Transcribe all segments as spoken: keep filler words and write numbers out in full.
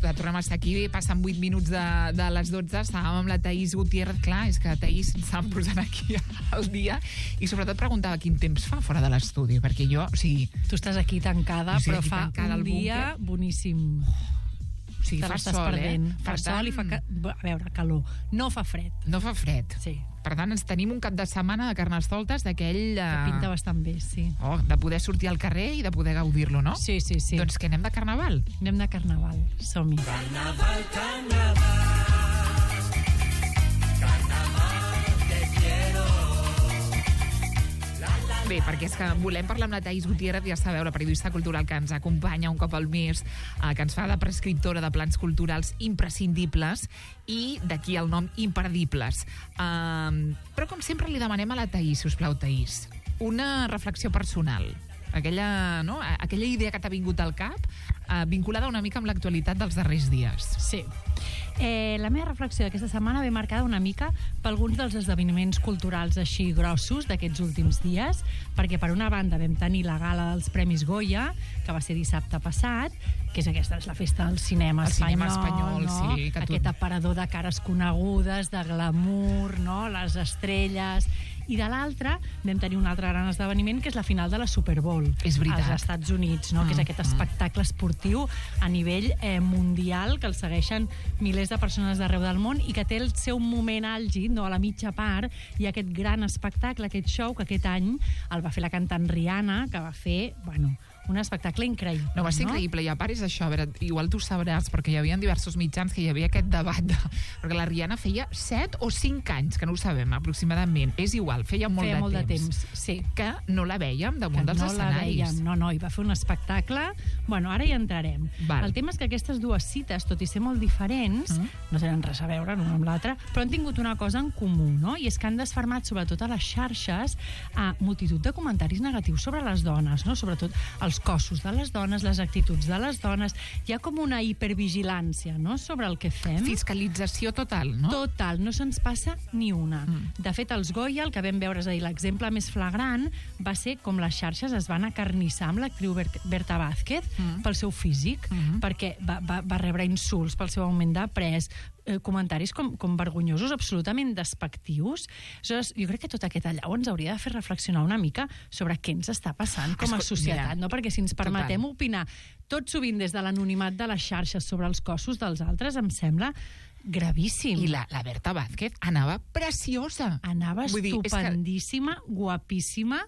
que tornem a estar aquí, passen vuit minuts de, de les dotze, estàvem amb la Thaís Gutiérrez, clar, és que Thaís ens estàvem posant aquí al dia, i sobretot preguntava quin temps fa fora de l'estudi, perquè jo, o sigui... Tu estàs aquí tancada, però aquí fa tancada un dia búnquer. boníssim. O sigui, Te fa l'estàs sol, perdent. eh? Fa Per sol tant, i fa... Ca... A veure, calor. No fa fred. No fa fred. Sí. Per tant, ens tenim un cap de setmana de Carnestoltes d'aquell... Que pinta bastant bé, sí. Oh, de poder sortir al carrer i de poder gaudir-lo, no? Sí, sí, sí. Doncs que anem de carnaval. Anem de carnaval. Som-hi. Carnaval, carnaval. Carnaval, te quiero. Bé, perquè és que volem parlar amb la Thaís Gutiérrez, ja sabeu, la periodista cultural que ens acompanya un cop al mes, eh, que ens fa de prescriptora de plans culturals imprescindibles i d'aquí el nom imperdibles. Um, però com sempre li demanem a la Thaís, si us plau, Thaís, una reflexió personal. Aquella, no? Aquella idea que t'ha vingut al cap, eh, vinculada una mica amb l'actualitat dels darrers dies. Sí. Eh, la meva reflexió d'aquesta setmana ve marcada una mica per alguns dels esdeveniments culturals així grossos d'aquests últims dies, perquè per una banda vam tenir la gala dels Premis Goya, que va ser dissabte passat, que és aquesta, és la festa del cinema El espanyol, cinema espanyol, no? sí, que tu- Aquest aparador de cares conegudes, de glamour, no? Les estrelles... I de l'altra vam tenir un altre gran esdeveniment, que és la final de la Super Bowl És veritat. als Estats Units, no? Mm, que és aquest espectacle esportiu a nivell eh, mundial, que el segueixen milers de persones d'arreu del món i que té el seu moment àlgid, no? A la mitja part, i aquest gran espectacle, aquest show, que aquest any el va fer la cantant Rihanna, que va fer, bueno, un espectacle increïble. No, va ser increïble, i a part és això, a veure, igual tu sabràs, perquè hi havia diversos mitjans que hi havia aquest debat, de, perquè la Rihanna feia set o cinc anys, que no ho sabem aproximadament, és igual, feia molt, feia de, molt temps, de temps, sí. que no la vèiem damunt Que dels no la escenaris. veiem, no, no, i va fer un espectacle. Bueno, ara hi entrarem. Val. El tema és que aquestes dues cites, tot i ser molt diferents, Mm. no tenen res a veure l'una amb l'altra, però han tingut una cosa en comú, no? I és que han desfermat, sobretot a les xarxes, a multitud de comentaris negatius sobre les dones, no? Sobretot els cossos de les dones, les actituds de les dones. Hi ha com una hipervigilància, no?, sobre el que fem. Fiscalització total, no? Total, no se'ns passa ni una. Mm. De fet, els Goya, el que vam veure, és a dir, l'exemple més flagrant, va ser com les xarxes es van acarnissar amb l'actriu Ber- Berta Vázquez Mm. pel seu físic, Mhm. perquè va, va, va rebre insults pel seu augment de pes, eh, comentaris com, com vergonyosos, absolutament despectius. Aleshores, jo crec que tot aquest allau ens hauria de fer reflexionar una mica sobre què ens està passant com a Escol- societat, mira, no? Perquè si ens permetem total. opinar tot sovint des de l'anonimat de les xarxes sobre els cossos dels altres, em sembla gravíssim. I la, la Berta Vázquez anava preciosa. Anava Vull dir, és que estupendíssima, guapíssima.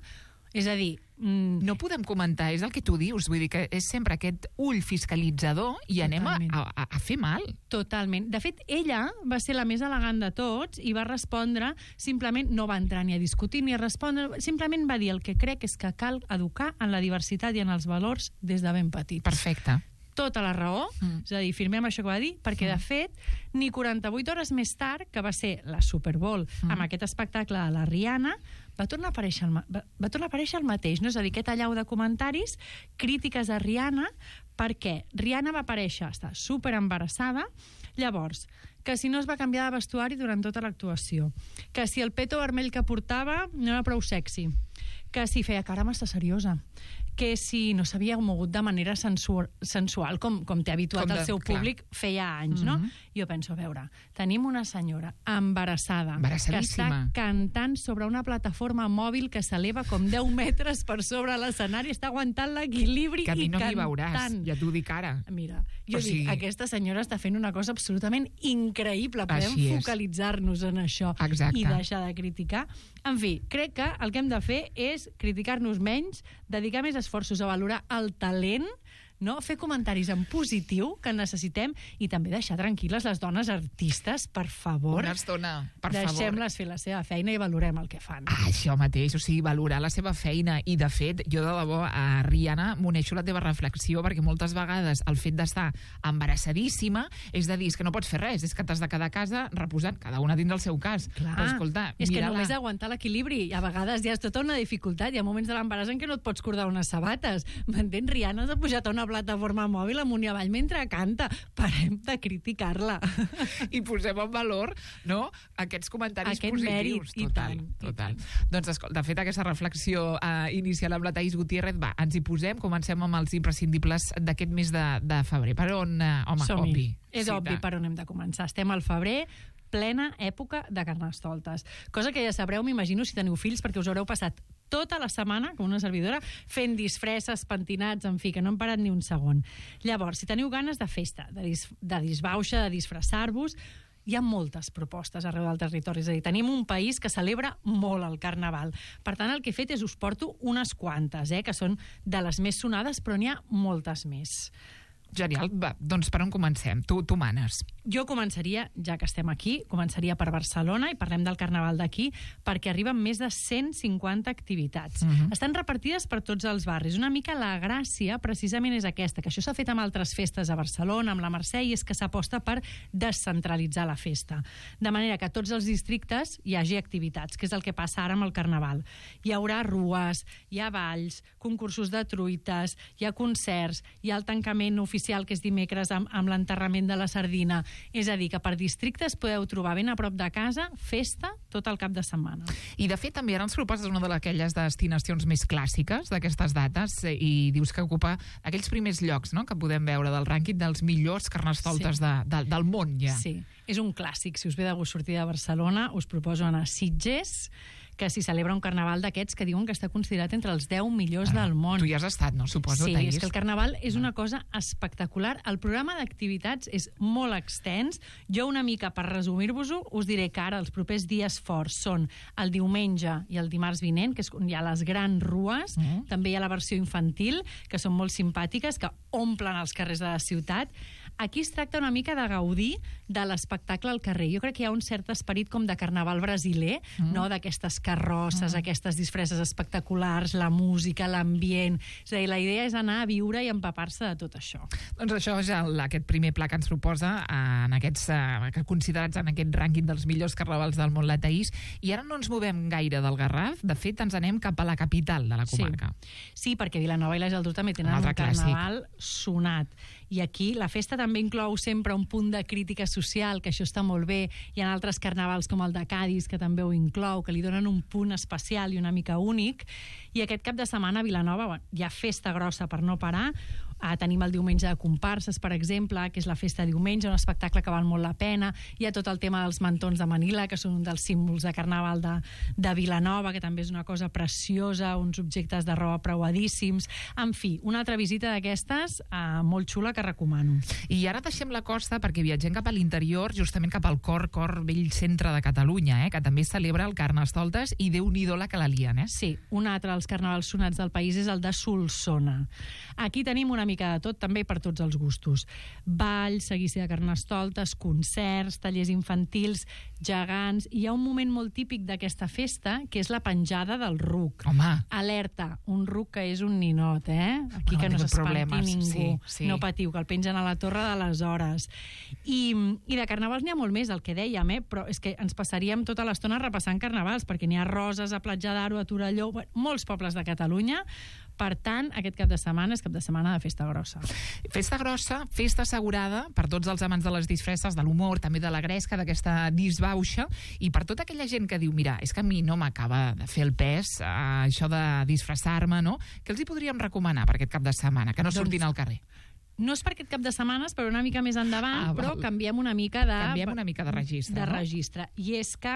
És a dir... Mm, no podem comentar, és el que tu dius, vull dir que és sempre aquest ull fiscalitzador i anem a, Totalment. a, a fer mal. Totalment. De fet, ella va ser la més elegant de tots i va respondre, simplement no va entrar ni a discutir ni a respondre, simplement va dir el que crec és que cal educar en la diversitat i en els valors des de ben petits. Perfecte. Tota la raó, Mm. és a dir, firmem això que va dir, perquè Mm. de fet, ni quaranta-vuit hores més tard, que va ser la Super Bowl, Mm. amb aquest espectacle de la Rihanna, va tornar a aparèixer el, ma- va, va tornar a aparèixer el mateix, no? És a dir, aquest allau de comentaris, crítiques a Rihanna, perquè Rihanna va aparèixer, està super embarassada, llavors, que si no es va canviar de vestuari durant tota l'actuació, que si el peto vermell que portava no era prou sexy, que si feia cara massa seriosa, que si no s'havia mogut de manera sensual, sensual com, com té habituat Com de- el seu clar. públic feia anys, no? Mhm. Jo penso, a veure, tenim una senyora embarassada que Embarassadíssima. està cantant sobre una plataforma mòbil que s'eleva com deu metres per sobre l'escenari, està aguantant l'equilibri Que a mi i no m'hi cantant. veuràs, ja t'ho dic ara. Mira, jo O dic, sigui- aquesta senyora està fent una cosa absolutament increïble. Podem Així és. focalitzar-nos en això Exacte. i deixar de criticar. En fi, crec que el que hem de fer és criticar-nos menys, dedicar més esforços a valorar el talent, no? Fer comentaris en positiu que necessitem i també deixar tranquil·les les dones artistes, per favor. Una estona, per favor. Deixem-les fer la seva feina i valorem el que fan. Ah, això mateix, o sigui, valorar la seva feina. I, de fet, jo de debò, a Rihanna, m'uneixo la teva reflexió, perquè moltes vegades el fet d'estar embarassadíssima és de dir, és que no pots fer res, és que t'has de quedar a casa reposant, cada una dins el seu cas. Clar, Però, escolta, és que mira-la. només aguantar l'equilibri, a vegades ja és tota una dificultat, hi ha moments de l'embaràs en què no et pots cordar unes sabates, m'entens? Rihanna s'ha pujat a una plataforma mòbil amunt i avall mentre canta. Parem de criticar-la. I posem en valor, no?, aquests comentaris Aquest positius. mèrit, i total, tant, i total. Doncs, escolta, de fet, aquesta reflexió eh, inicial amb la Thaís Gutiérrez, va, ens hi posem, comencem amb els imprescindibles d'aquest mes de, de febrer. Per on, eh, home, Som-hi. obvi. És Sí, obvi tant. per on hem de començar. Estem al febrer, plena època de Carnestoltes. Cosa que ja sabreu, m'imagino, si teniu fills, perquè us haureu passat tota la setmana, com una servidora, fent disfresses, pentinats, en fi, que no hem parat ni un segon. Llavors, si teniu ganes de festa, de, dis de disbauxa, de disfressar-vos, hi ha moltes propostes arreu del territori. És a dir, tenim un país que celebra molt el Carnaval. Per tant, el que he fet és us porto unes quantes, eh, que són de les més sonades, però n'hi ha moltes més. Genial. Va, doncs per on comencem? Tu, tu manes. Jo començaria, ja que estem aquí, començaria per Barcelona i parlem del Carnaval d'aquí, perquè arriben més de cent cinquanta activitats. Mhm. Estan repartides per tots els barris. Una mica la gràcia, precisament, és aquesta, que això s'ha fet amb altres festes a Barcelona, amb la Mercè, i és que s'aposta per descentralitzar la festa. De manera que a tots els districtes hi hagi activitats, que és el que passa ara amb el Carnaval. Hi haurà rues, hi ha balls, concursos de truites, hi ha concerts, hi ha el tancament oficial, que és dimecres, amb, amb l'enterrament de la sardina. És a dir, que per districtes podeu trobar ben a prop de casa festa tot el cap de setmana. I, de fet, també ara ens proposes una d'aquelles destinacions més clàssiques d'aquestes dates eh, i dius que ocupa aquells primers llocs, no?, que podem veure del rànquing dels millors carnestoltes Sí. de, de, del món, ja. Sí, és un clàssic. Si us ve de gust sortir de Barcelona, us proposo anar a Sitges, que s'hi celebra un carnaval d'aquests que diuen que està considerat entre els deu millors del món. Tu hi has estat, no? Suposo, Sí, Thaís. és que el carnaval és una cosa espectacular. El programa d'activitats és molt extens. Jo, una mica per resumir-vos-ho, us diré que ara els propers dies forts són el diumenge i el dimarts vinent, que és on hi ha les grans rues. Mm. També hi ha la versió infantil, que són molt simpàtiques, que omplen els carrers de la ciutat. Aquí es tracta una mica de gaudir de l'espectacle al carrer. Jo crec que hi ha un cert esperit com de carnaval brasiler, mm. no?, d'aquestes carrosses, mm. aquestes disfresses espectaculars, la música, l'ambient. És a dir, la idea és anar a viure i empapar-se de tot això. Doncs això és el, aquest primer pla que ens proposa en aquests, eh, considerats en aquest rànquing dels millors carnavals del món, la Thaís. I ara no ens movem gaire del Garraf. De fet, ens anem cap a la capital de la comarca. Sí, sí, perquè Vilanova i la Geltrú també tenen Un un, altre carnaval sonat. I aquí la festa també inclou sempre un punt de crítica social, que això està molt bé. Hi ha altres carnavals com el de Cadis, que també ho inclou, que li donen un punt especial i una mica únic. I aquest cap de setmana a Vilanova, bueno, hi ha festa grossa per no parar. Ah, tenim el diumenge de comparses, per exemple, que és la festa de diumenge, un espectacle que val molt la pena. Hi ha tot el tema dels mantons de Manila, que són un dels símbols de carnaval de, de Vilanova, que també és una cosa preciosa, uns objectes de roba preuadíssims. En fi, una altra visita d'aquestes eh, molt xula que recomano. I ara deixem la costa perquè viatgem cap a l'interior, justament cap al cor, cor vell centre de Catalunya, eh, que també celebra el Carnestoltes, i Déu-n'hi-do la que la lien, eh? Sí, un altre dels carnavals sonats del país és el de Solsona. Aquí tenim una mica de tot, també per tots els gustos. Ball, seguici de Carnestoltes, concerts, tallers infantils, gegants. I hi ha un moment molt típic d'aquesta festa, que és la penjada del ruc. Home. Alerta, un ruc que és un ninot, eh? Aquí Bueno, que no ha tingut s'espanti problemes, ningú. sí, sí. No patiu, que el pengen a la torre de les hores. I, i de carnavals n'hi ha molt més, el que dèiem, eh? Però és que ens passaríem tota l'estona repassant carnavals, perquè n'hi ha a Roses, a Platja d'Aro, a Torelló, bueno, molts pobles de Catalunya. Per tant, aquest cap de setmana és cap de setmana de festa grossa. Festa grossa, festa assegurada per tots els amants de les disfresses, de l'humor, també de la gresca, d'aquesta disbauxa, i per tota aquella gent que diu, mira, és que a mi no m'acaba de fer el pes, eh, això de disfressar-me, no? Què els hi podríem recomanar per aquest cap de setmana? Que no Doncs- surtin al carrer. No és per aquest cap de setmanes, però una mica més endavant, Ah, però val. canviem una mica de... Canviem una mica de registre, De no? registre. I és que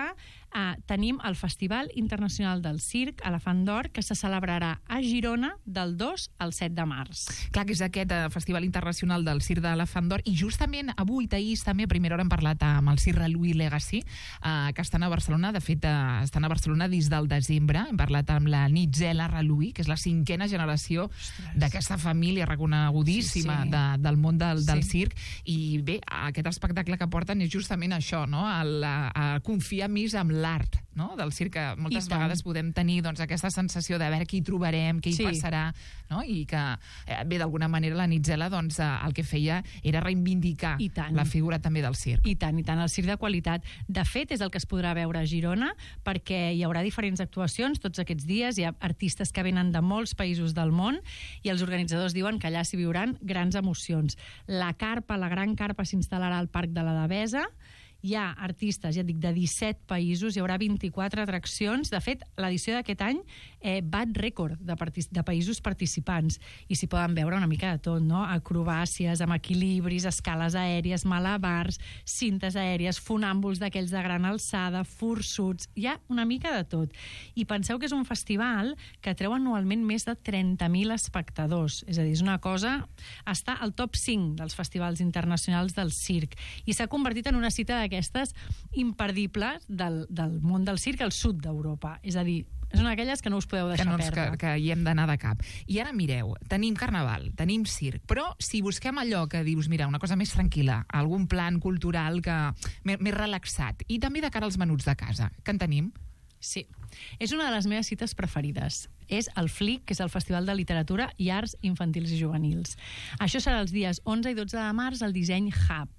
eh, tenim el Festival Internacional del Circ, Elefant d'Or, que se celebrarà a Girona del dos al set de març. Clar que és aquest eh, Festival Internacional del Circ de l'Elefant d'Or, i justament avui, Thaís, també a primera hora hem parlat amb el Circ Louis Legacy, eh, que estan a Barcelona, de fet, eh, estan a Barcelona des del desembre. Hem parlat amb la Nitzela Louis, que és la cinquena generació d'aquesta família reconegudíssima Sí, sí. de, del món del, Sí. del circ, i bé, aquest espectacle que porten és justament això, no? El, a, a confiar més en l'art, no? Del circ, que moltes I tant. vegades podem tenir doncs, aquesta sensació de veure què hi trobarem, què hi Sí. passarà, no? I que, eh, bé, d'alguna manera la Nitzela doncs, eh, el que feia era reivindicar I tant. la figura també del circ. I tant, i tant, el circ de qualitat. De fet, és el que es podrà veure a Girona, perquè hi haurà diferents actuacions tots aquests dies, hi ha artistes que venen de molts països del món, i els organitzadors diuen que allà s'hi viuran grans emocions. La carpa, la gran carpa, s'instal·larà al Parc de la Devesa. Hi ha artistes, ja et dic, de disset països, hi haurà vint-i-quatre atraccions. De fet, l'edició d'aquest any eh, bat rècord de, de països participants, i s'hi poden veure una mica de tot, no? Acrobàcies, amb equilibris, escales aèries, malabars, cintes aèries, funàmbuls d'aquells de gran alçada, fursuts, hi ha una mica de tot. I penseu que és un festival que atreu anualment més de trenta mil espectadors, és a dir, és una cosa... Està al top cinc dels festivals internacionals del circ, i s'ha convertit en una cita de aquestes imperdibles del, del món del circ al sud d'Europa. És a dir, és una d'aquelles que no us podeu deixar que, no ens, perdre. que, que hi hem d'anar de cap. I ara mireu, tenim carnaval, tenim circ, però si busquem allò que dius, mira, una cosa més tranquil·la, algun plan cultural que més, més relaxat, i també de cara als menuts de casa, que en tenim? Sí. És una de les meves cites preferides. És el F L I C, que és el Festival de Literatura i Arts Infantils i Juvenils. Això serà els dies onze i dotze de març al Disseny Hub.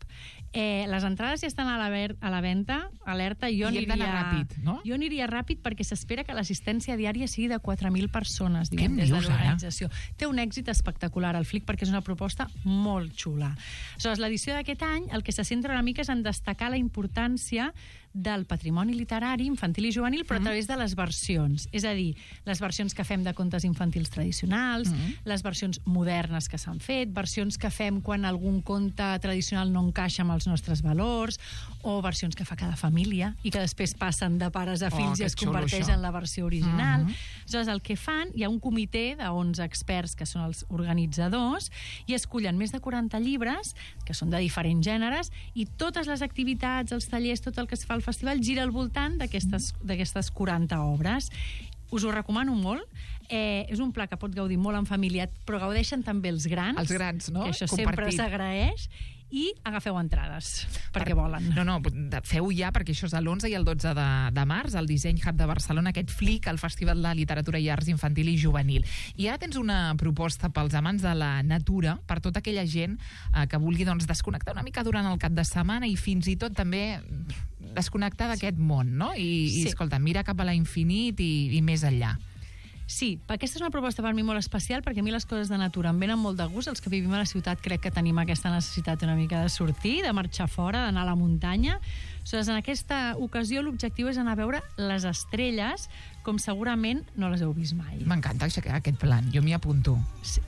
Eh, les entrades ja estan a la, ver a la venda, alerta, jo I hem aniria... d'anar ràpid, no? Jo aniria ràpid perquè s'espera que l'assistència diària sigui de quatre mil persones, Què diuen, em des de dius, ara? l'organització. Té un èxit espectacular el F L I C perquè és una proposta molt xula. Aleshores, l'edició d'aquest any el que se centra una mica és en destacar la importància del patrimoni literari infantil i juvenil, però a través de les versions. És a dir, les versions que fem de contes infantils tradicionals, Mm. les versions modernes que s'han fet, versions que fem quan algun conte tradicional no encaixa amb els nostres valors, o versions que fa cada família i que després passen de pares a Oh, fills que i es xulo, converteix això. en la versió original. Mhm. Aleshores, el que fan, hi ha un comitè d'onze experts que són els organitzadors i escullen més de quaranta llibres, que són de diferents gèneres, i totes les activitats, els tallers, tot el que es fa al festival gira al voltant d'aquestes d'aquestes quaranta obres. Us ho recomano molt. Eh, és un pla que pot gaudir molt en família, però gaudeixen també els grans. Els grans, no? Que això sempre Compartit. s'agraeix. I agafeu entrades, perquè volen. No, no, feu ja, perquè això és l'onze i el dotze de, de març, al Disseny Hub de Barcelona, aquest F L I C, el Festival de Literatura i Arts Infantil i Juvenil. I ara tens una proposta pels amants de la natura, per tota aquella gent eh, que vulgui doncs, desconnectar una mica durant el cap de setmana i fins i tot també desconnectar d'aquest món, no? I, Sí. i escolta, mira cap a l'infinit i, i més enllà. Sí, aquesta és una proposta per mi molt especial, perquè a mi les coses de natura em venen molt de gust. Els que vivim a la ciutat crec que tenim aquesta necessitat una mica de sortir, de marxar fora, d'anar a la muntanya. Aleshores, en aquesta ocasió l'objectiu és anar a veure les estrelles, com segurament no les heu vist mai. M'encanta aquest plan, jo m'hi apunto. Sí.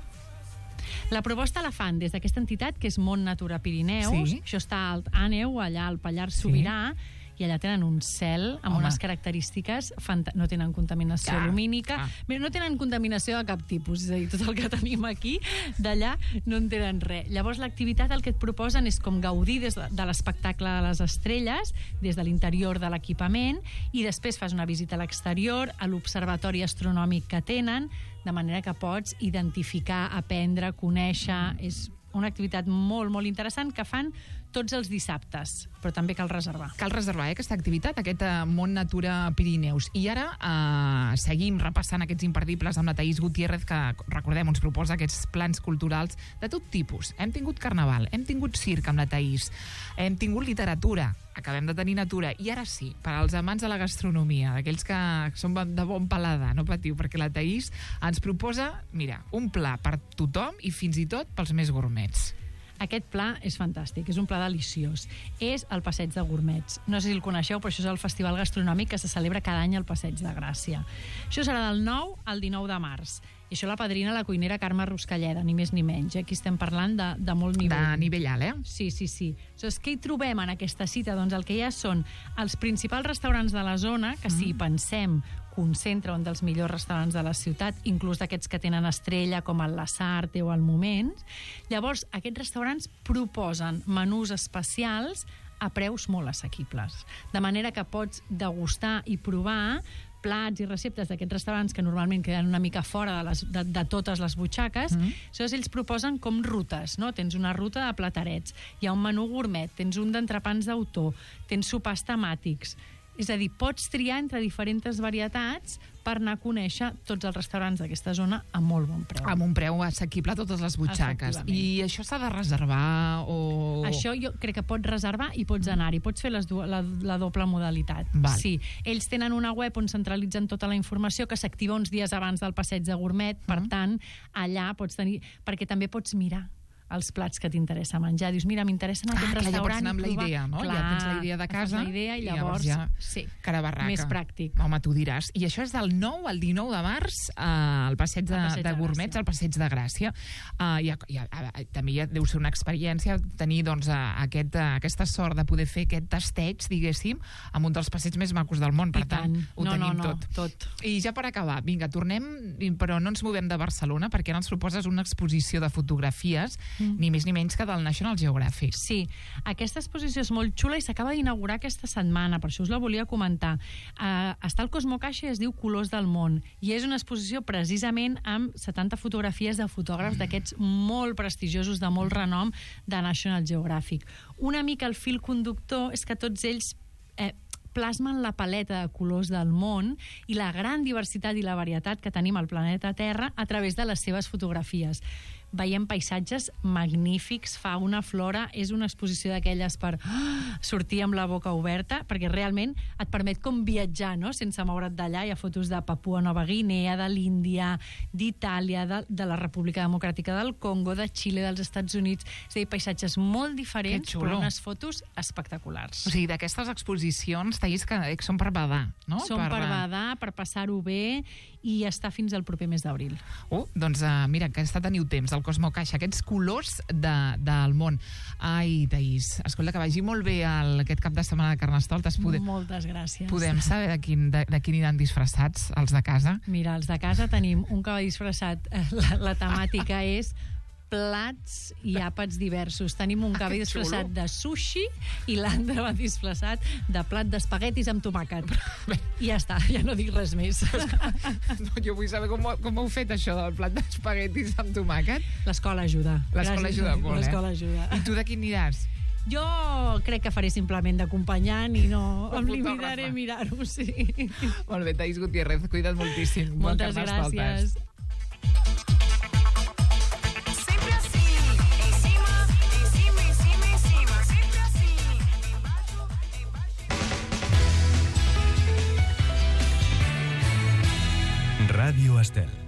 La proposta la fan des d'aquesta entitat, que és Mont Natura Pirineus. Sí. Això està al Àneu, allà al Pallars Sobirà, i allà tenen un cel amb Home. unes característiques fanta- no tenen contaminació Clar, lumínica. clar. Bé, no tenen contaminació de cap tipus, és a dir, tot el que tenim aquí, d'allà no en tenen res. Llavors, l'activitat el que et proposen és com gaudir des de, de l'espectacle de les estrelles, des de l'interior de l'equipament, i després fas una visita a l'exterior, a l'observatori astronòmic que tenen, de manera que pots identificar, aprendre, conèixer... És una activitat molt, molt interessant que fan tots els dissabtes, però també cal reservar. Cal reservar eh, aquesta activitat, aquest eh, Mont Natura Pirineus. I ara eh, seguim repassant aquests imperdibles amb la Thaís Gutiérrez, que, recordem, ens proposa aquests plans culturals de tot tipus. Hem tingut carnaval, hem tingut circ amb la Thaís, hem tingut literatura, acabem de tenir natura, i ara sí, per als amants de la gastronomia, d'aquells que són de bon paladar, no patiu, perquè la Thaís ens proposa, mira, un pla per tothom i fins i tot pels més gourmets. Aquest pla és fantàstic, és un pla deliciós. És el Passeig de Gourmets. No sé si el coneixeu, però això és el festival gastronòmic que se celebra cada any al Passeig de Gràcia. Això serà del nou al dinou de març. I això la padrina la cuinera Carme Ruscalleda, ni més ni menys. Aquí estem parlant de, de molt nivell. De nivell alt, eh? Sí, sí, sí. Aleshores, què hi trobem en aquesta cita? Doncs el que hi ha són els principals restaurants de la zona, que si hi pensem concentra un dels millors restaurants de la ciutat, inclús d'aquests que tenen estrella, com el Lasarte o el Moment. Llavors, aquests restaurants proposen menús especials a preus molt assequibles. De manera que pots degustar i provar plats i receptes d'aquests restaurants que normalment queden una mica fora de, les, de, de totes les butxaques, mm -hmm. Llavors ells proposen com rutes, no? Tens una ruta de platarets, hi ha un menú gourmet, tens un d'entrepans d'autor, tens sopars temàtics. És a dir, pots triar entre diferents varietats per anar a conèixer tots els restaurants d'aquesta zona a molt bon preu. Amb un preu assequible a totes les butxaques. I això s'ha de reservar o... Això jo crec que pots reservar i pots anar-hi. Pots fer les du la, la doble modalitat. Val. Sí. Ells tenen una web on centralitzen tota la informació que s'activa uns dies abans del passeig de gourmet. Per mm. tant, allà pots tenir... Perquè també pots mirar els plats que t'interessa menjar. Dius, mira, m'interessen aquest ah, restaurant. Ja pots anar amb la idea, no? Clar, ja tens la idea de casa. La idea i llavors, i llavors ja sí, cara barraca. Més pràctic. Home, tu diràs. I això és del nou al dinou de març eh, al passeig de, passeig de, de Gourmets, al passeig de Gràcia. Uh, i, i, uh, també ja deu ser una experiència tenir doncs, uh, aquest, uh, aquesta sort de poder fer aquest tasteig, diguéssim, amb un dels passeigs més macos del món. Per I tant, tant. ho no, tenim no, no, tot. tot. I ja per acabar, vinga, tornem, però no ens movem de Barcelona, perquè ara ens proposes una exposició de fotografies, mm. ni més ni menys que del National Geographic. Sí, aquesta exposició és molt xula i s'acaba d'inaugurar aquesta setmana, per això us la volia comentar. Uh, està al Cosmo Caixa i es diu Colors del món, i és una exposició precisament amb setanta fotografies de fotògrafs mm. d'aquests molt prestigiosos, de molt renom, de National Geographic. Una mica el fil conductor és que tots ells eh, plasmen la paleta de colors del món i la gran diversitat i la varietat que tenim al planeta Terra a través de les seves fotografies. Veiem paisatges magnífics, fauna, flora, és una exposició d'aquelles per oh, sortir amb la boca oberta, perquè realment et permet com viatjar, no?, sense moure't d'allà. Hi ha fotos de Papua Nova Guinea, de l'Índia, d'Itàlia, de, de la República Democràtica del Congo, de Xile, dels Estats Units. És a dir, paisatges molt diferents, però unes fotos espectaculars. O sigui, d'aquestes exposicions, Thaís, que són per badar, no? Són per, per badar, per passar-ho bé, i està fins al proper mes d'abril. Oh, doncs uh, mira, aquesta teniu temps, el Cosmo Caixa, aquests colors de, del món. Ai, Thaís, escolta, que vagi molt bé el, aquest cap de setmana de Carnestoltes. Podem, Moltes gràcies. Podem saber de quin, de, de quin aniran disfressats, els de casa? Mira, els de casa tenim un cavall disfressat. La, la temàtica és plats i àpats diversos. Tenim un cavall ah, disfressat de sushi i l'Andra va disfressat de plat d'espaguetis amb tomàquet. I ja està, ja no dic res més. No, jo vull saber com, com heu fet això del plat d'espaguetis amb tomàquet. L'escola ajuda. L'escola ajuda molt, eh? L'escola ajuda. I tu de quin aniràs? Jo crec que faré simplement d'acompanyant i no em limitaré a mirar-ho, sí. Molt bé, Thaís Gutiérrez, cuida't moltíssim. Moltes gràcies. Radio Estel.